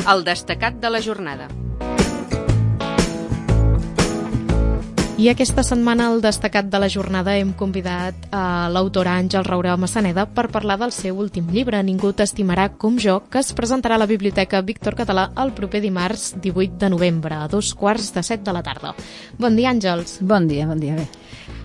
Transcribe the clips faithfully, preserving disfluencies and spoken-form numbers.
El destacat de la jornada. I aquesta setmana al destacat de la jornada hem convidat a l'autora Àngel Raurà Massaneda per parlar del seu últim llibre, Ningú t'estimarà com jo, que es presentarà a la Biblioteca Víctor Català el proper dimarts divuit de novembre, a dos quarts de set de la tarda. Bon dia, Àngels. Bon dia, bon dia, bé.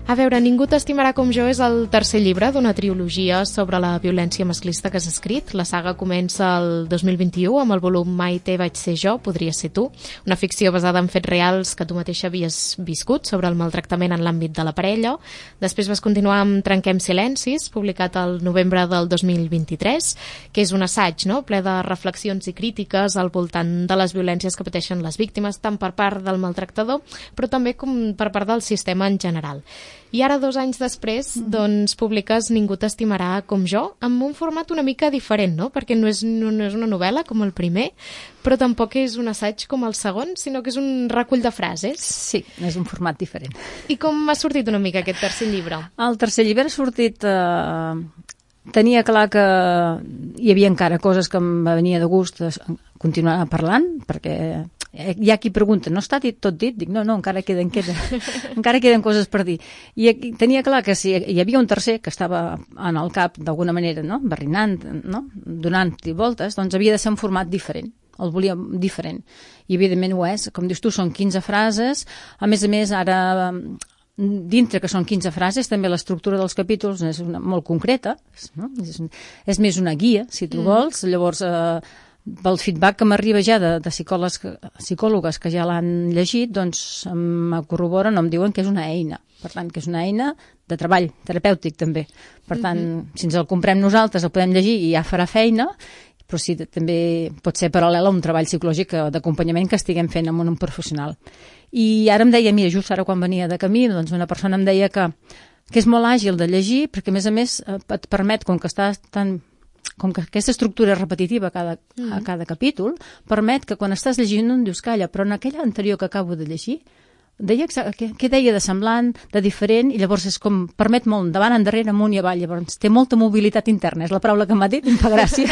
A veure, Ningú t'estimarà com jo és el tercer llibre d'una trilogia sobre la violència masclista que has escrit. La saga comença el dos mil vint-i-u amb el volum Maite vaig ser jo, podria ser tu, una ficció basada en fets reals que tu mateixa havies viscut sobre el maltractament en l'àmbit de la parella. Després vas continuar amb Trenquem silencis, publicat el novembre del dos mil vint-i-tres, que és un assaig, no?, ple de reflexions i crítiques al voltant de les violències que pateixen les víctimes, tant per part del maltractador, però també com per part del sistema en general. I ara, dos anys després, doncs, publiques Ningú t'estimarà com jo, amb un format una mica diferent, no?, perquè no és, no, no és una novel·la com el primer, però tampoc és un assaig com el segon, sinó que és un recull de frases. Sí, és un format diferent. I com ha sortit una mica aquest tercer llibre? El tercer llibre ha sortit... Eh... Tenia clar que hi havia encara coses que em venia de gust continuar parlant, perquè hi ha qui pregunta, no està dit tot dit? Dic, no, no, encara queden, queda, encara queden coses per dir. I tenia clar que si hi havia un tercer que estava en el cap d'alguna manera, no?, barrinant, no?, donant-hi voltes, doncs havia de ser un format diferent. El volíem diferent. I evidentment ho és. Com dius tu, són quinze frases. A més a més, ara... dintre que són quinze frases, també l'estructura dels capítols és una, molt concreta, no? és, és més una guia, si tu vols. Mm. Llavors, eh, pel feedback que m'arriba ja de, de psicòlegs, psicòlogues que ja l'han llegit, doncs em corroboren o em diuen que és una eina. Per tant, que és una eina de treball terapèutic, també. Per tant, mm-hmm. si ens el comprem nosaltres, el podem llegir i ja farà feina, però sí, també pot ser paral·lel a un treball psicològic d'acompanyament que estiguem fent amb un professional. I ara em deia, mira, just ara quan venia de camí, doncs una persona em deia que, que és molt àgil de llegir, perquè a més a més et permet, com que estàs tan... com que aquesta estructura és repetitiva a cada, mm. a cada capítol, permet que quan estàs llegint no em dius calla, però en aquella anterior que acabo de llegir, deia què, què deia de semblant, de diferent, i llavors és com, permet molt endavant, endarrere, amunt i avall, llavors té molta mobilitat interna, és la paraula que m'ha dit, em fa gràcia.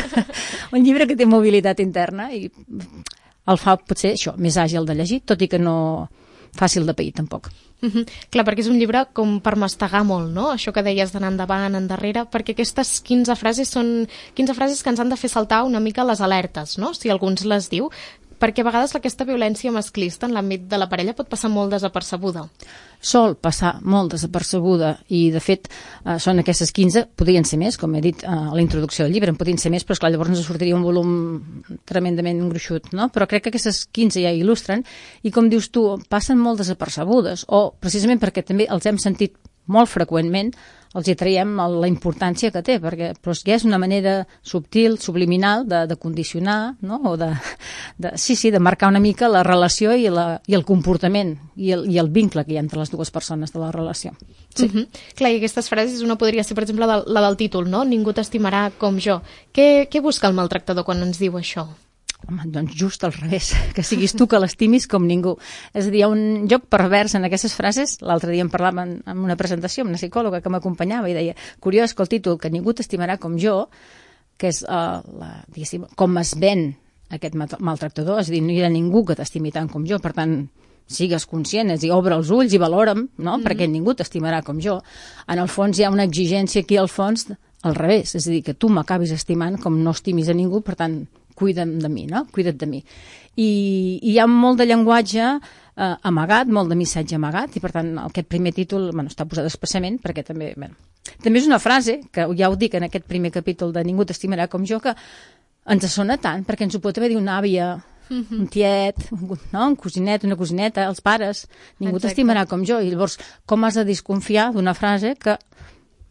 Un llibre que té mobilitat interna i el fa potser això, més àgil de llegir, tot i que no fàcil de pair tampoc. Mm-hmm. Clar, perquè és un llibre com per mastegar molt, no?, això que deies d'anar endavant, endarrere, perquè aquestes quinze frases són quinze frases que ens han de fer saltar una mica les alertes, no?, si algú ens les diu, perquè a vegades aquesta violència masclista en l'àmbit de la parella pot passar molt desapercebuda. Sol passar molt desapercebuda i, de fet, eh, són aquestes quinze, podrien ser més, com he dit eh, a la introducció del llibre, en podrien ser més, però esclar, llavors ens sortiria un volum tremendament gruixut, no? Però crec que aquestes quinze ja il·lustren i, com dius tu, passen molt desapercebudes o, precisament perquè també els hem sentit molt freqüentment, els hi traiem la importància que té, perquè però ja és una manera subtil, subliminal, de, de condicionar, no?, o de, de, sí, sí, de marcar una mica la relació i, la, i el comportament i el, i el vincle que hi ha entre les dues persones de la relació. Sí. Uh-huh. Clar, i aquestes frases, una podria ser, per exemple, la, la del títol, no?, Ningú t'estimarà com jo. Què, què busca el maltractador quan ens diu això? Home, doncs just al revés, que siguis tu que l'estimis com ningú. És a dir, hi ha un joc pervers en aquestes frases. L'altre dia em parlava en, en una presentació amb una psicòloga que m'acompanyava i deia, curiós que el títol, que ningú t'estimarà com jo, que és uh, la, diguéssim, com es ven aquest maltractador, és a dir, no hi ha ningú que t'estimi tant com jo, per tant, sigues conscient, és a dir, obre els ulls i valora'm, no?, mm-hmm. perquè ningú t'estimarà com jo. En el fons hi ha una exigència aquí al fons al revés, és a dir, que tu m'acabis estimant com no estimis a ningú, per tant, cuida'm de mi, no? Cuida't de mi. I, i hi ha molt de llenguatge eh, amagat, molt de missatge amagat, i per tant aquest primer títol bueno, està posat expressament perquè també... Bueno, també és una frase, que ja ho dic en aquest primer capítol de Ningú t'estimarà com jo, que ens sona tant, perquè ens ho pot haver dit una àvia, mm-hmm. un tiet, un, no? un cosinet, una cosineta, els pares, ningú t'estimarà com jo. I llavors, com has de desconfiar d'una frase que...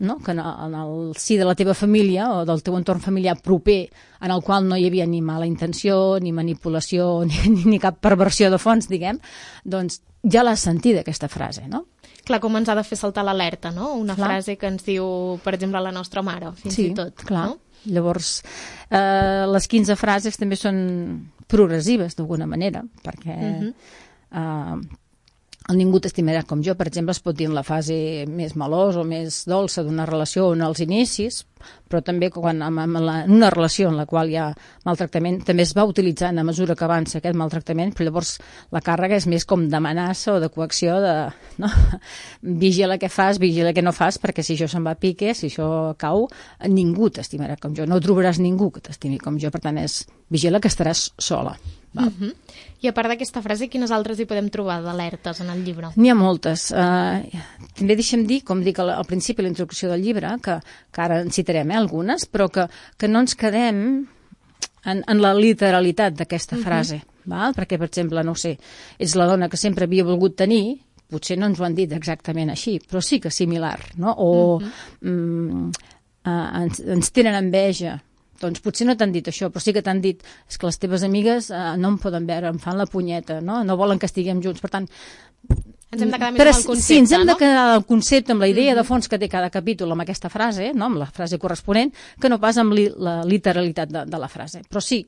No? que en el si de la teva família o del teu entorn familiar proper en el qual no hi havia ni mala intenció, ni manipulació, ni, ni, ni cap perversió de fons, diguem, doncs ja l'has sentit, aquesta frase, no? Clar, com ens ha de fer saltar l'alerta, no? Una clar. frase que ens diu, per exemple, la nostra mare, fins sí, i tot. Clar. No? Llavors, eh, les quinze frases també són progressives, d'alguna manera, perquè... Uh-huh. eh, el ningú t'estimarà com jo, per exemple, es pot dir en la fase més melosa o més dolça d'una relació en els inicis, però també quan en, en, la, en una relació en la qual hi ha maltractament també es va utilitzant a mesura que avança aquest maltractament, però llavors la càrrega és més com d'amenaça o de coacció de, no? Vigila què fas, vigila què no fas, perquè si això se'n va a pique, si això cau, ningú t'estimarà com jo, no trobaràs ningú que t'estimi com jo, per tant és vigila que estaràs sola. Uh -huh. I a part d'aquesta frase, quines altres hi podem trobar d'alertes en el llibre? N'hi ha moltes. Uh, també deixem dir, com dic al, al principi de la introducció del llibre, que, que ara en citarem eh, algunes, però que, que no ens quedem en, en la literalitat d'aquesta frase. Uh-huh. Val? Perquè, per exemple, no sé, ets la dona que sempre havia volgut tenir, potser no ens ho han dit exactament així, però sí que similar, no? O uh-huh. mm, uh, ens, ens tenen enveja. Doncs potser no t'han dit això, però sí que t'han dit és que les teves amigues eh, no em poden veure, em fan la punyeta, no? No volen que estiguem junts. Per tant, ens hem de quedar més amb el concepte, sí, ens hem no? de quedar amb el concepte, amb la idea mm-hmm. de fons que té cada capítol amb aquesta frase, no? Amb la frase corresponent, que no pas amb li, la literalitat de, de la frase. Però sí,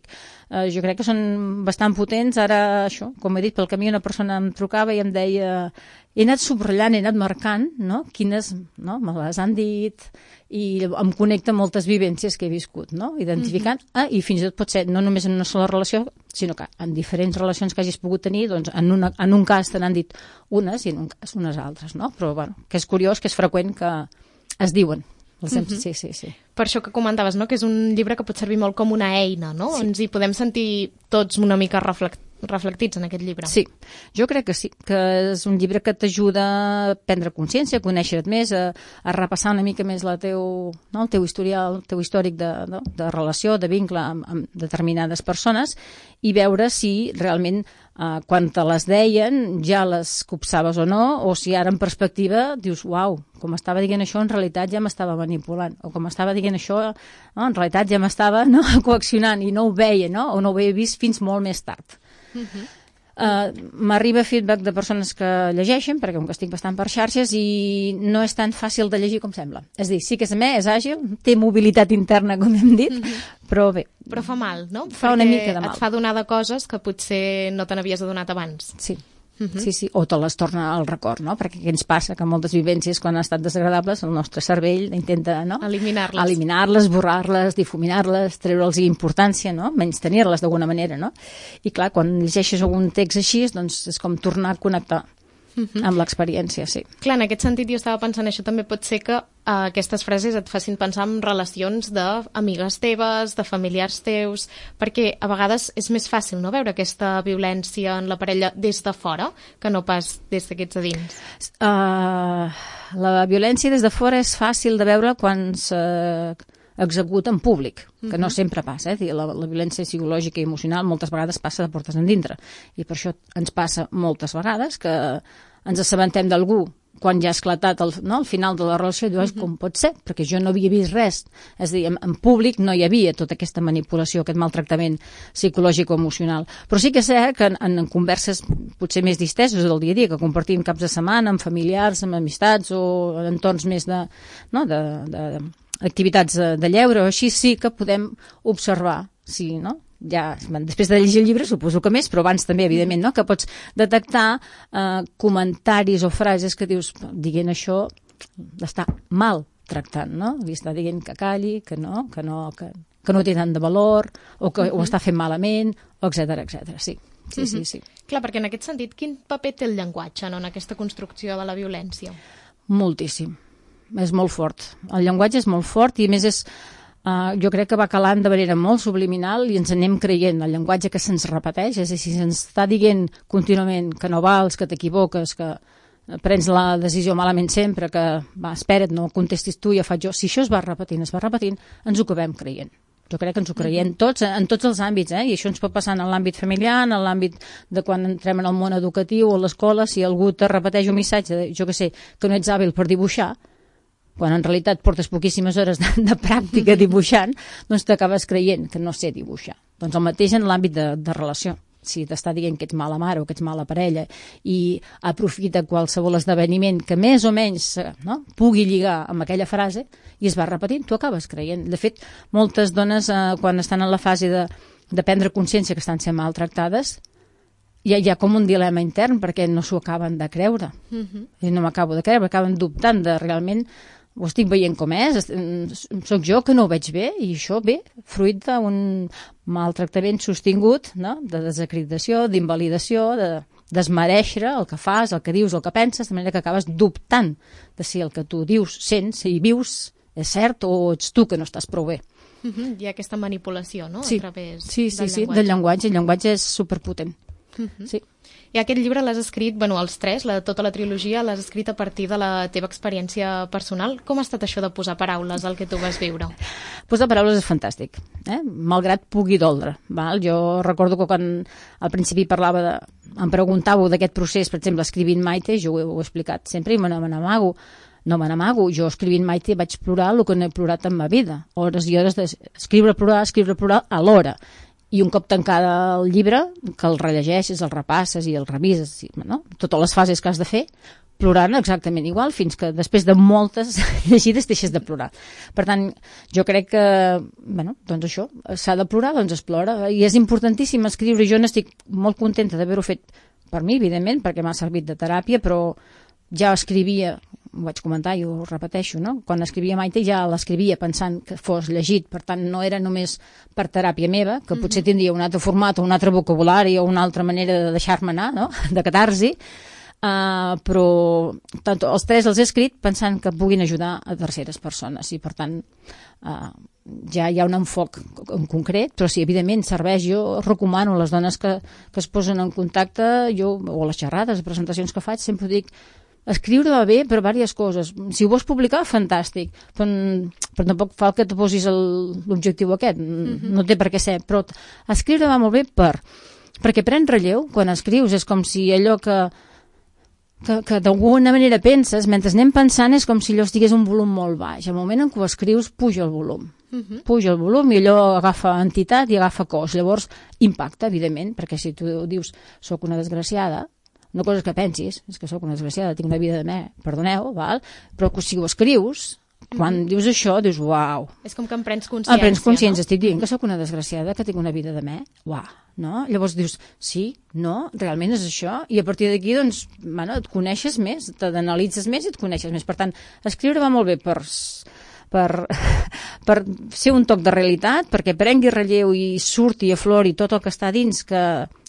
eh, jo crec que són bastant potents. Ara, això, com he dit, pel camí una persona em trucava i em deia he anat subratllant, he anat marcant, no? Quines, no? Me les han dit i em connecta amb moltes vivències que he viscut, no? Identificant, mm-hmm. ah, i fins i tot pot ser no només en una sola relació, sinó que en diferents relacions que hagis pogut tenir, doncs en, una, en un cas te n'han dit unes i en un cas unes altres, no? Però, bueno, que és curiós, que és freqüent que es diuen. Mm-hmm. Sí, sí, sí. Per això que comentaves, no?, que és un llibre que pot servir molt com una eina, no? Sí. Ens hi podem sentir tots una mica reflectits reflectits en aquest llibre. Sí, jo crec que sí, que és un llibre que t'ajuda a prendre consciència, a conèixer-te més, a, a repassar una mica més la teu, no, el teu historial, el teu històric de, no, de relació, de vincle amb, amb determinades persones i veure si realment eh, quan te les deien ja les copsaves o no, o si ara en perspectiva dius, uau, com estava dient això en realitat ja m'estava manipulant, o com estava dient això no, en realitat ja m'estava no, coaccionant i no ho veia, no, o no ho havia vist fins molt més tard. Uh-huh. Uh, m'arriba feedback de persones que llegeixen, perquè com que estic bastant per xarxes i no és tan fàcil de llegir com sembla. És a dir, sí que és més, és àgil, té mobilitat interna, com hem dit, uh-huh. però bé. Però fa mal, no? Fa una mica de mal. Et fa donar de coses que potser no te n'havies adonat abans. Sí. Uh-huh. Sí, sí, o te les torna al record, no? Perquè què ens passa? Que moltes vivències, quan han estat desagradables, el nostre cervell intenta, no? Eliminar-les. Eliminar-les, borrar-les, difuminar-les, treure'ls importància, no? Menys tenir-les d'alguna manera, no? I clar, quan llegeixes algun text així, doncs és com tornar a connectar uh-huh. amb l'experiència, sí. Clar, en aquest sentit jo estava pensant, això també pot ser que uh, aquestes frases et facin pensar en relacions d'amigues teves, de familiars teus, perquè a vegades és més fàcil no veure aquesta violència en la parella des de fora que no pas des d'aquests a dins. Uh, la violència des de fora és fàcil de veure quan s'executa en públic, que uh-huh. no sempre passa. Eh? La, la violència psicològica i emocional moltes vegades passa de portes endintre, i per això ens passa moltes vegades que ens assabentem d'algú quan ja ha esclatat el, no, el final de la relació, i dius, uh-huh. com pot ser? Perquè jo no havia vist res. És a dir, en, en públic no hi havia tota aquesta manipulació, aquest maltractament psicològic o emocional. Però sí que és cert que en, en converses potser més disteses del dia a dia, que compartim caps de setmana amb familiars, amb amistats o en entorns més de, no, de, de, de activitats de, de lleure o així, sí que podem observar, sí, no? Ja, després de llegir el llibre suposo que més, però abans també, evidentment, no? Que pots detectar eh, comentaris o frases que dius, dient això l'està mal tractant, no? Li està dient que calli, que no, que no, que, que no té tant de valor, o que uh-huh. ho està fent malament, etcètera, etcètera. Sí, sí, uh-huh. sí, sí. Clar, perquè en aquest sentit, quin paper té el llenguatge, no?, en aquesta construcció de la violència? Moltíssim. És molt fort. El llenguatge és molt fort i, a més, és Uh, jo crec que va calant de manera molt subliminal i ens anem creient el llenguatge que se'ns repeteix, és a dir, si se'ns està dient contínuament que no vals, que t'equivoques, que prens la decisió malament sempre, que va, espera't, no contestis tu, ja faig jo. Si això es va repetint, es va repetint, ens ho acabem creient. Jo crec que ens ho creiem tots, en tots els àmbits, eh? I això ens pot passar en l'àmbit familiar, en l'àmbit de quan entrem en el món educatiu o a l'escola, si algú te repeteix un missatge, de, jo què sé, que no ets hàbil per dibuixar, quan en realitat portes poquíssimes hores de, de pràctica dibuixant, doncs t'acabes creient que no sé dibuixar. Doncs el mateix en l'àmbit de, de relació. Si t'està dient que ets mala mare o que ets mala parella i aprofita qualsevol esdeveniment que més o menys no, pugui lligar amb aquella frase i es va repetint, tu acabes creient. De fet, moltes dones, eh, quan estan en la fase de, de prendre consciència que estan sent maltractades, hi ha, hi ha com un dilema intern perquè no s'ho acaben de creure. Uh-huh. I no m'acabo de creure, acaben dubtant de realment ho estic veient com és, soc jo que no ho veig bé, i això ve fruit d'un maltractament sostingut, no? De desacreditació, d'invalidació, de desmereixer el que fas, el que dius, el que penses, de manera que acabes dubtant de si el que tu dius, sents i vius és cert o ets tu que no estàs prou bé. Uh-huh. Hi ha aquesta manipulació, no? Sí, a través sí, sí, del sí, llenguatge. del llenguatge. El llenguatge és superpotent. Uh-huh. Sí. I aquest llibre l'has escrit, bueno, els tres, la, tota la trilogia, l'has escrit a partir de la teva experiència personal. Com ha estat això de posar paraules al que tu vas viure? Posar paraules és fantàstic, eh? Malgrat pugui doldre. Val? Jo recordo que quan al principi parlava de... em preguntàveu d'aquest procés, per exemple, escrivint Maite, jo ho he, ho he explicat sempre i me n'amago. No me n'amago. Jo escrivint Maite vaig plorar el que no he plorat en ma vida. Hores i hores d'escriure, plorar, escriure, plorar alhora. I un cop tancada el llibre, que el rellegeixes, el repasses i el revises, no? Totes les fases que has de fer, plorant exactament igual, fins que després de moltes llegides deixes de plorar. Per tant, jo crec que, bueno, doncs això, s'ha de plorar, doncs es plora. I és importantíssim escriure, jo n'estic molt contenta d'haver-ho fet per mi, evidentment, perquè m'ha servit de teràpia, però ja escrivia, ho vaig comentar i ho repeteixo, no? Quan escrivia Maite ja l'escrivia pensant que fos llegit, per tant no era només per teràpia meva, que potser tindria un altre format o un altre vocabulari o una altra manera de deixar-me anar, no? De catarsi, uh, però tant, els tres els he escrit pensant que puguin ajudar a terceres persones i per tant uh, ja hi ha un enfoc en concret, però sí, evidentment serveix. Jo recomano a les dones que, que es posen en contacte, jo, o a les xerrades, presentacions que faig, sempre dic escriure va bé per diverses coses. Si ho vols publicar, fantàstic, però, però tampoc fa que te posis l'objectiu aquest, mm-hmm. no té per què ser, però escriure va molt bé per, perquè pren relleu, quan escrius és com si allò que, que, que d'alguna manera penses, mentre anem pensant és com si allò estigués un volum molt baix, al moment en què ho escrius puja el volum, mm-hmm. puja el volum i allò agafa entitat i agafa cos, llavors impacta, evidentment, perquè si tu dius soc una desgraciada, una cosa és que pensis, és que sóc una desgraciada, tinc una vida de me, perdoneu, val? Però si ho escrius, quan mm-hmm. dius això, dius, uau. És com que en prens consciència, en prens consciència, no? Estic dient que sóc una desgraciada, que tinc una vida de me, uau, no? Llavors dius, sí, no, realment és això, i a partir d'aquí, doncs, bueno, et coneixes més, t'analitzes més i et coneixes més. Per tant, escriure va molt bé per... Per, per ser un toc de realitat, perquè prengui relleu i surti i aflori tot el que està dins, que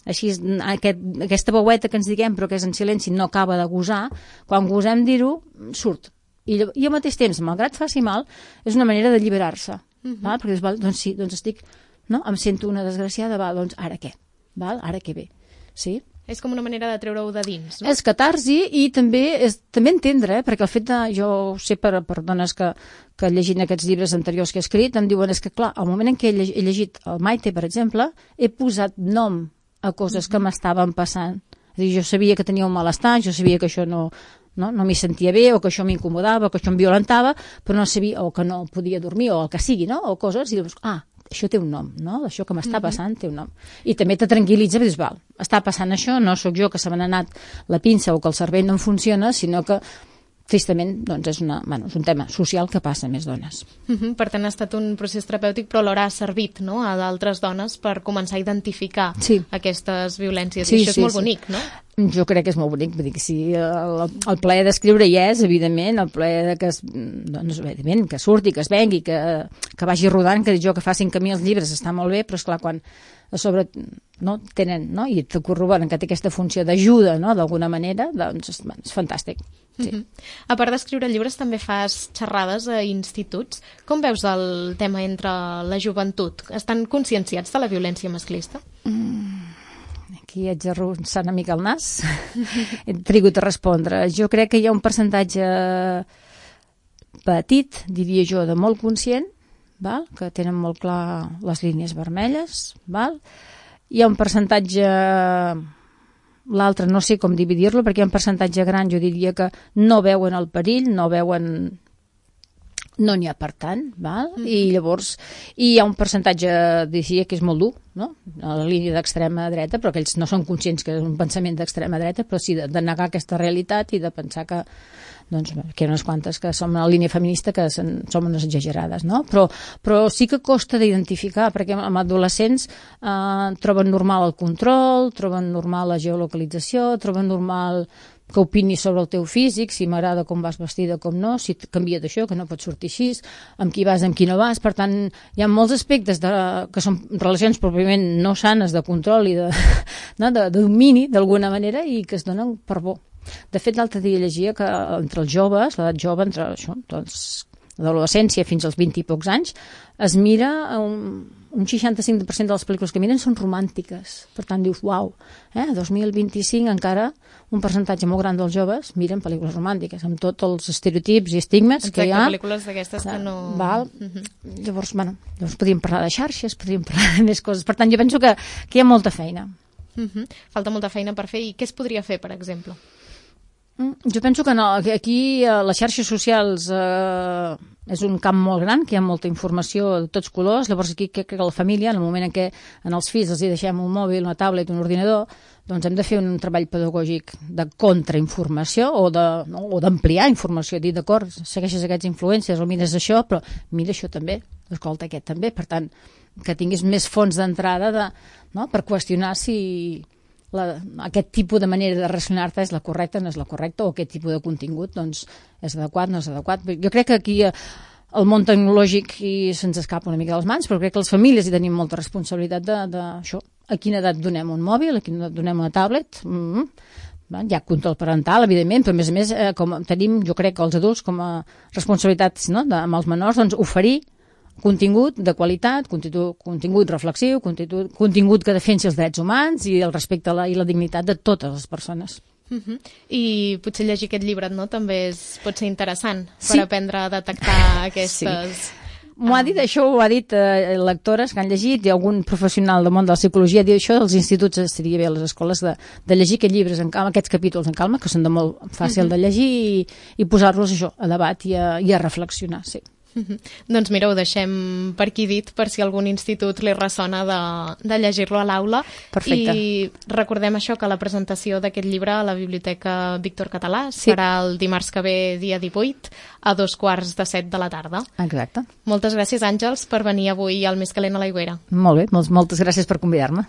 així aquest, aquesta veueta que ens diguem però que és en silenci no acaba de gosar, quan gosem dir-ho surt, i, i al mateix temps, malgrat faci mal, és una manera d'alliberar-se. Uh-huh. Val? Perquè dius, val, doncs sí, doncs estic, no? Em sento una desgraciada, val, doncs ara què? Val? Ara què ve? Sí? És com una manera de treure-ho de dins, no? És catarsi i també és també entendre, eh? Perquè el fet de... Jo ho sé per, per dones que, que llegint aquests llibres anteriors que he escrit, em diuen, és que clar, al moment en què he llegit el Maite, per exemple, he posat nom a coses que m'estaven passant. És a dir, jo sabia que tenia un malestar, jo sabia que això no... No, no m'hi sentia bé, o que això m'incomodava, o que això em violentava, però no sabia, o que no podia dormir, o el que sigui, no? O coses, i dius, ah, això té un nom, no? Això que m'està passant té un nom. I també te tranquil·litza, dius, val, està passant això, no sóc jo que se m'ha anat la pinça o que el cervell no em funciona, sinó que tristament, doncs és, una, bueno, és un tema social que passa a més dones. Uh-huh. Per tant, ha estat un procés terapèutic, però alhora ha servit, no?, a d'altres dones per començar a identificar sí. aquestes violències. Sí, I això sí, és molt sí. bonic, no? Jo crec que és molt bonic. Vull dir que sí, el, el plaer d'escriure hi és, evidentment, el plaer de que, es, doncs, evidentment, que surti, que es vengui, que, que vagi rodant, que jo que facin camí els llibres està molt bé, però esclar, quan a sobre no, tenen, no? I te corroboren que té aquesta funció d'ajuda, no?, d'alguna manera, doncs és, és fantàstic. Sí. Uh-huh. A part d'escriure llibres, també fas xerrades a instituts. Com veus el tema entre la joventut? Estan conscienciats de la violència masclista? Mm, aquí haig d'arronsar una mica el nas. He trigut a respondre. Jo crec que hi ha un percentatge petit, diria jo, de molt conscient, val? Que tenen molt clar les línies vermelles. Val? Hi ha un percentatge... L'altre no sé com dividir-lo, perquè hi ha un percentatge gran, jo diria que no veuen el perill, no veuen no n'hi ha per tant, val? Mm. I llavors i hi ha un percentatge, diria, que és molt dur, no? A la línia d'extrema dreta, però que ells no són conscients que és un pensament d'extrema dreta, però sí de, de negar aquesta realitat i de pensar que doncs que hi ha unes quantes que som a la línia feminista que som, som unes exagerades, no? Però, però sí que costa d'identificar, perquè amb adolescents eh, troben normal el control, troben normal la geolocalització, troben normal que opini sobre el teu físic, si m'agrada com vas vestida, com no, si et canvia d'això, que no pots sortir així, amb qui vas, amb qui no vas. Per tant, hi ha molts aspectes de, que són relacions pròpiament no sanes de control i de, no, de, de domini, d'alguna manera, i que es donen per bo. De fet, l'altre dia llegia que entre els joves, l'edat jove, entre això, doncs, l'adolescència fins als vint i pocs anys, es mira un, un seixanta-cinc per cent de les pel·lícules que miren són romàntiques. Per tant, dius, uau, eh, dos mil vint-i-cinc encara un percentatge molt gran dels joves miren pel·lícules romàntiques, amb tots els estereotips i estigmes Exacte, que hi ha. pel·lícules d'aquestes que no... Val? Uh-huh. Llavors, bueno, llavors podríem parlar de xarxes, podríem parlar de més coses. Per tant, jo penso que, que hi ha molta feina. Uh-huh. Falta molta feina per fer. I què es podria fer, per exemple? Jo penso que no, que aquí eh, les xarxes socials eh, és un camp molt gran, que hi ha molta informació de tots colors. Llavors aquí crec que la família, en el moment en què en els fills els hi deixem un mòbil, una tablet, un ordinador, doncs hem de fer un treball pedagògic de contrainformació o de, no, o d'ampliar informació, dir, d'acord, segueixes aquests influències o mires això, però mira això també, escolta aquest també. Per tant, que tinguis més fonts d'entrada de, no, per qüestionar si La, aquest tipus de manera de relacionar-te és la correcta, no és la correcta, o aquest tipus de contingut doncs, és adequat, no és adequat. Jo crec que aquí el món tecnològic se'ns escapa una mica de les mans, però crec que les famílies hi tenim molta responsabilitat d'això. A quina edat donem un mòbil, a quina edat donem una tablet? Mm-hmm. Hi ha control parental, evidentment, però a més a més eh, com tenim, jo crec que els adults com a responsabilitats, no, de, amb els menors, doncs oferir contingut de qualitat, contingut, contingut reflexiu, contingut, contingut que defensi els drets humans i el respecte a la, i la dignitat de totes les persones. Uh-huh. I potser llegir aquest llibre, no?, també és, pot ser interessant sí. per aprendre a detectar aquestes... Sí. M'ho ha dit, això ho ha dit eh, lectores que han llegit i algun professional del món de la psicologia diu això dels instituts estaria bé a les escoles de, de llegir aquests llibres en calma, aquests capítols en calma, que són de molt fàcil uh-huh. de llegir i, i posar-los això a debat i a, i a reflexionar, sí. Uh-huh. Doncs mira, ho deixem per aquí dit, per si algun institut li ressona de, de llegir-lo a l'aula. Perfecte. I recordem això, que la presentació d'aquest llibre a la Biblioteca Víctor Català sí. serà el dimarts que ve, dia divuit, a dos quarts de set de la tarda. Exacte. Moltes gràcies, Àngels, per venir avui al Més calent a l'aigüera. Molt bé, moltes gràcies per convidar-me.